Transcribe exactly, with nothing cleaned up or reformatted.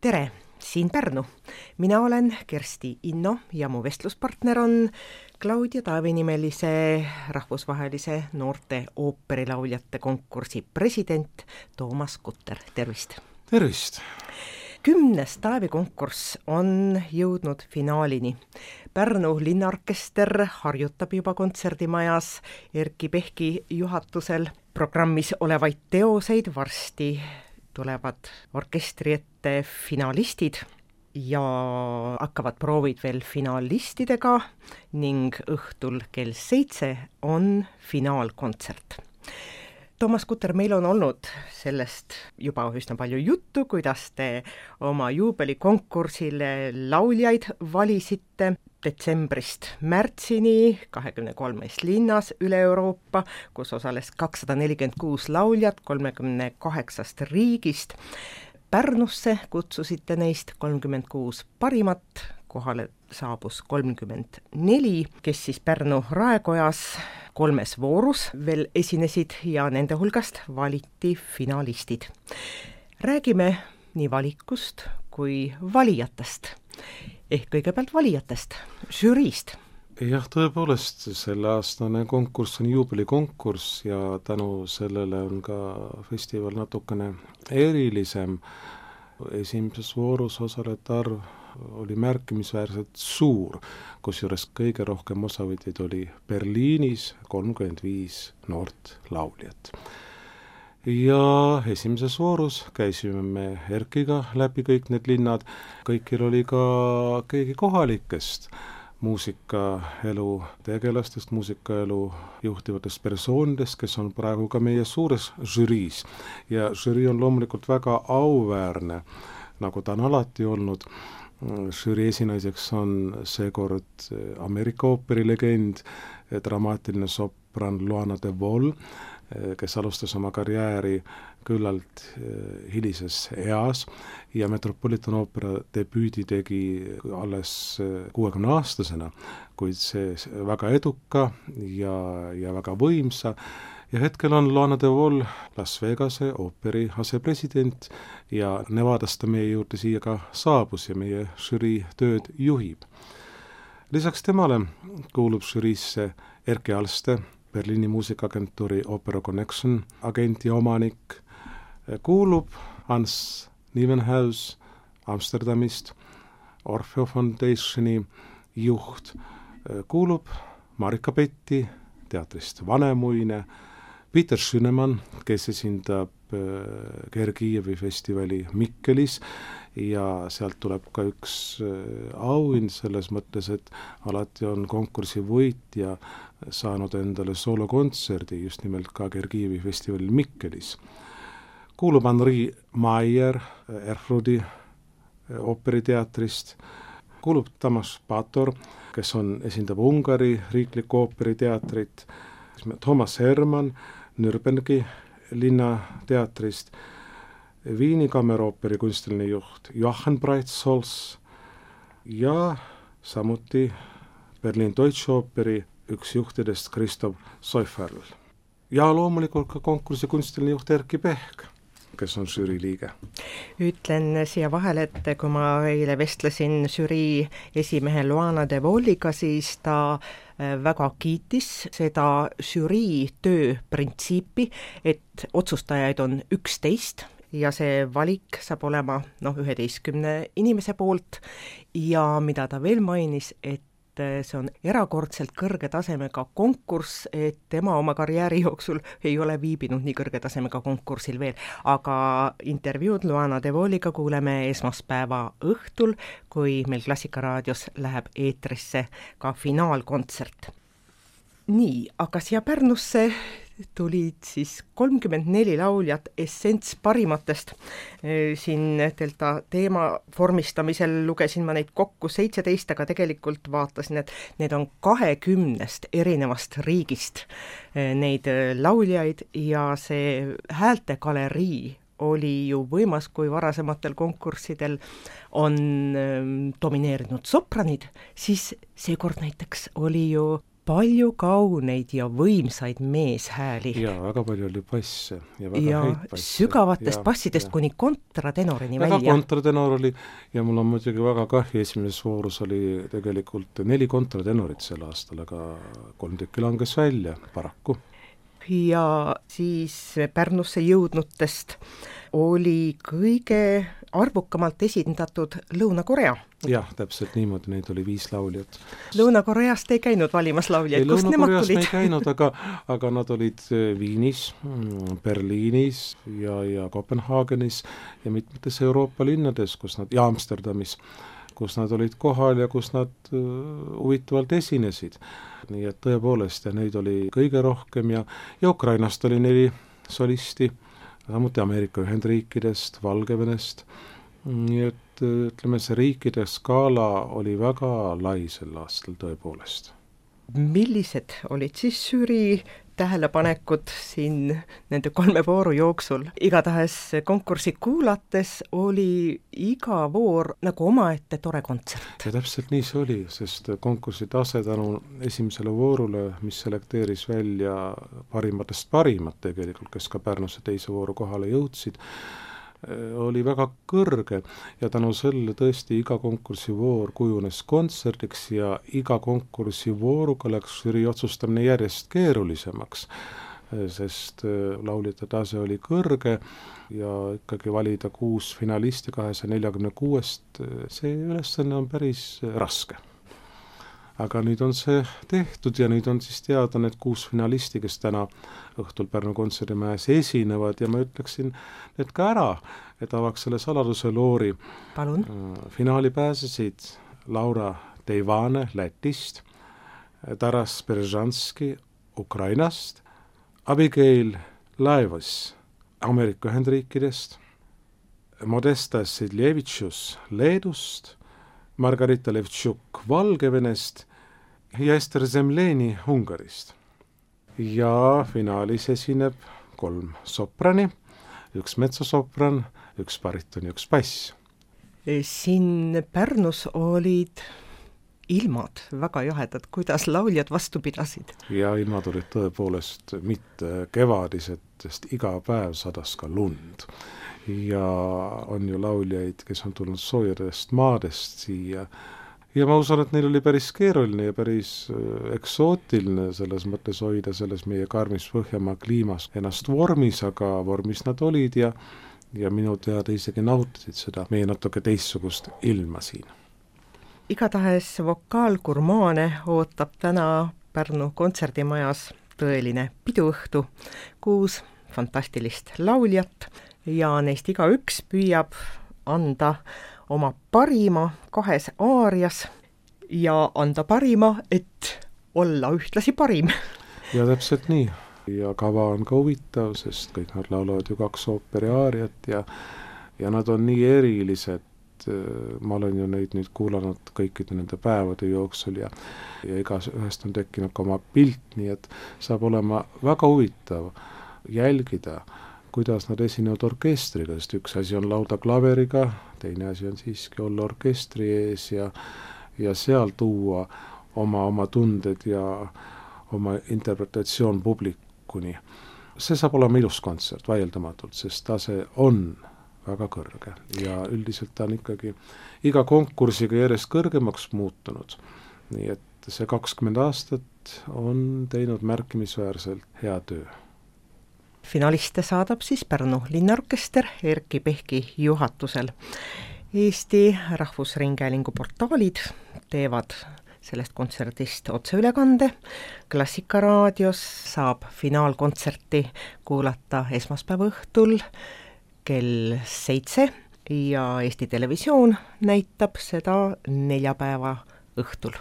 Tere, siin Pärnu. Mina olen Kersti Inno ja mu vestluspartner on Claudia Taavi nimelise rahvusvahelise noorte ooperilauljate konkursi president Toomas Kutter. Tervist! Tervist! Kümnes Taavi konkurss on jõudnud finaalini. Pärnu linnaorkester harjutab juba kontserdimajas Erki Pehki juhatusel programmis olevaid teoseid. Varsti tulevad orkestri ette finalistid ja hakkavad proovid veel finalistidega ning õhtul kell seitse on finaalkontsert. Toomas Kutter, meil on olnud sellest juba üsna palju juttu, kuidas te oma juubelikonkursile lauljaid valisite detsembrist märtsini kahekümne kolmes linnas üle Euroopa, kus osales kakssada nelikümmend kuus lauljat kolmekümne kaheksast riigist. Pärnusse kutsusite neist kolmkümmend kuus parimat, kohale saabus kolmkümmend neli, kes siis Pärnu raekojas kolmes voorus veel esinesid ja nende hulgast valiti finalistid. Räägime nii valikust kui valijatest. Ehk kõigepealt valijatest, žüriist. Jah, tõepoolest, selle aastane konkurss on juubelikonkurss ja tänu sellele on ka festival natukene erilisem. Esimeses voorus osalejate arv oli märkimisväärselt suur, kusjuures kõige rohkem osavõtjaid oli Berliinis kolmkümmend viis noort lauljat. Ja esimeses voorus käisime me Erkiga läbi kõik need linnad, kõikil oli ka keegi kohalikest muusikaelu tegelastest, muusikaelu juhtivatest persoonidest, kes on praegu ka meie suures žüriis. Ja žürii on loomulikult väga auväärne, nagu ta on alati olnud. Žürii esinaiseks on seekord Ameerika ooperilegend, dramaatiline sopran Luana de Vol, kes alustas oma karjääri küllalt hilises eas ja Metropolitan Opera debüüdi tegi alles kuuekümne aastasena, kuid see väga eduka ja, ja väga võimsa. Ja hetkel on Luana de Vol Las Vegase ooperi asepresident ja Nevadast meie juurde siia ka saabus ja meie žürii tööd juhib. Lisaks temale kuulub žüriisse Erki Alste, Berliini muusikaagentuuri Opera Connection agent ja omanik, kuulub Hans Nivenhaus Amsterdamist, Orfeo Foundationi juht, kuulub Marika Petti teatrist Vanemuine, Peter Schünemann, kes esindab Gergijevi festivali Mikkelis ja sealt tuleb ka üks auhind selles mõttes, et alati on konkursi võitja saanud endale soolokontserdi just nimelt ka Gergijevi festivalil Mikkelis. Kuulub Henri Maier Erfrudi ooperiteatrist, kuulub Tamas Pator, kes on, esindab Ungari riiklikku ooperiteatrit, Thomas Hermann Nürnbergi linnateatrist, Viini kammerooperi kunstiline juht Joachim Breitholz ja samuti Berliin Deutsche Operi üks juhtidest Christoph Seuferl. Ja loomulikult ka konkursi kunstiline juht Erki Pehk, kes on žürii liige. Ütlen siia vahele, et kui ma eile vestlesin žürii esimehe Luana de Voliga, siis ta väga kiitis seda žürii töö printsiipi, et otsustajaid on üksteist ja see valik saab olema noh, üheteistkümne inimese poolt ja mida ta veel mainis, et see on erakordselt kõrge tasemega konkurss, et tema oma karjääri jooksul ei ole viibinud nii kõrge tasemega konkursil veel, aga intervjuud Luana de Voliga kuuleme esmaspäeva õhtul, kui meil Klassikaraadios läheb eetrisse ka finaalkontsert. Nii, aga siia Pärnusse tulid siis kolmkümmend neli lauljat essents parimatest. Siin Delta teema vormistamisel lugesin ma neid kokku seitseteist, aga tegelikult vaatasin, et need on kahekümnest erinevast riigist neid lauljaid ja see häältegalerii oli ju võimas, kui varasematel konkurssidel on domineerinud sopranid, siis seekord näiteks oli ju palju kauneid ja võimsaid meeshääli. Ja väga palju oli basse ja väga ja häid basse. Sügavatest ja, bassidest ja. Kuni kontratenorini väga välja. Kontratenor oli ja mul on muidugi väga kahju, esimeses voorus oli tegelikult neli kontratenorit sel aastal, aga kolm tükki langes välja, paraku. Ja siis Pärnusse jõudnutest oli kõige arvukamalt esindatud Lõuna-Korea. Jah, täpselt niimoodi, neid oli viis lauljat. Lõuna-Koreast ei käinud valimas lauljad, kust nemad tulid? Ei käinud, aga, aga nad olid Viinis, Berliinis ja, ja Kopenhaagenis ja mitmetes Euroopa linnades, kus nad, ja Amsterdamis, kus nad olid kohal ja kus nad huvitavalt esinesid. Nii et tõepoolest, ja neid oli kõige rohkem ja, ja Ukrainast oli neli solisti, samuti Ameerika Ühendriikidest, Valgevenest, nii et ütleme, see riikide skaala oli väga lai sel aastal tõepoolest. Millised olid siis žürii tähelepanekud siin nende kolme vooru jooksul? Igatahes konkursi kuulates oli iga voor nagu omaette tore kontsert. Ja täpselt nii see oli, sest konkursi tase tänu esimesele voorule, mis selekteeris välja parimatest parimat tegelikult, kes ka Pärnusse teise vooru kohale jõudsid, oli väga kõrge ja tänu selle tõesti iga konkursivoor kujunes kontserdiks ja iga konkursivooruga läks žürii otsustamine järjest keerulisemaks, sest lauljate tase oli kõrge ja ikkagi valida kuus finalisti kahesaja neljakümne kuuest, see ülesanne on päris raske. Aga nüüd on see tehtud ja nüüd on siis teada need kuus finalisti, kes täna õhtul Pärnu kontserdimäes esinevad ja ma ütleksin need ka ära, et avaks selle saladuse loori. Palun. Finaali pääsesid Laura Teivane Lätist, Taras Beržanski Ukrainast, Abigail Laevas Ameerika Ühendriikidest, Modesta Sidlevitšus Leedust, Margarita Levtšuk Valgevenest ja Ester Zemleni Ungarist. Ja finaalis esineb kolm soprani, üks metsosopran, üks bariton ja üks bass. Siin Pärnus olid ilmad väga jahedad, kuidas lauljad vastu pidasid? Ja ilmad olid tõepoolest mitte kevadised, sest iga päev sadas ka lund. Ja on ju lauljaid, kes on tulnud soojadest maadest siia. Ja ma usun, et neil oli päris keeruline ja päris eksootiline selles mõttes hoida selles meie karmis Põhjamaa kliimas ennast vormis, aga vormis nad olid ja, ja minu teada isegi nautisid seda meie natuke teistsugust ilma siin. Igatahes vokaalgurmaane ootab täna Pärnu kontserdimajas tõeline piduõhtu, kuus fantastilist lauljat ja neist igaüks püüab anda oma parima kahes aarias ja anda parima, et olla ühtlasi parim. Ja täpselt nii. Ja kava on ka huvitav, sest kõik nad laulavad ju kaks ooperi aariat ja, ja nad on nii erilised. Ma olen ju neid nüüd kuulanud kõikide nende päevade jooksul ja, ja igas ühest on tekkinud ka oma pilt, nii et saab olema väga huvitav jälgida, kuidas nad esinevad orkestriga, sest üks asi on lauda klaveriga, teine asi on siiski olla orkestri ees ja, ja seal tuua oma, oma tunded ja oma interpretatsioon publikuni. See saab olema ilus kontsert, vaieldamatult, sest tase on väga kõrge ja üldiselt ta on ikkagi iga konkursiga järjest kõrgemaks muutunud. Nii et see kakskümmend aastat on teinud märkimisväärselt hea töö. Finaliste saadab siis Pärnu linnaorkester Erki Pehki juhatusel. Eesti Rahvusringhäälingu portaalid teevad sellest kontserdist otseülekande. Klassikaraadios saab finaalkontserti kuulata esmaspäeva õhtul kell seitse ja Eesti Televisioon näitab seda neljapäeva õhtul.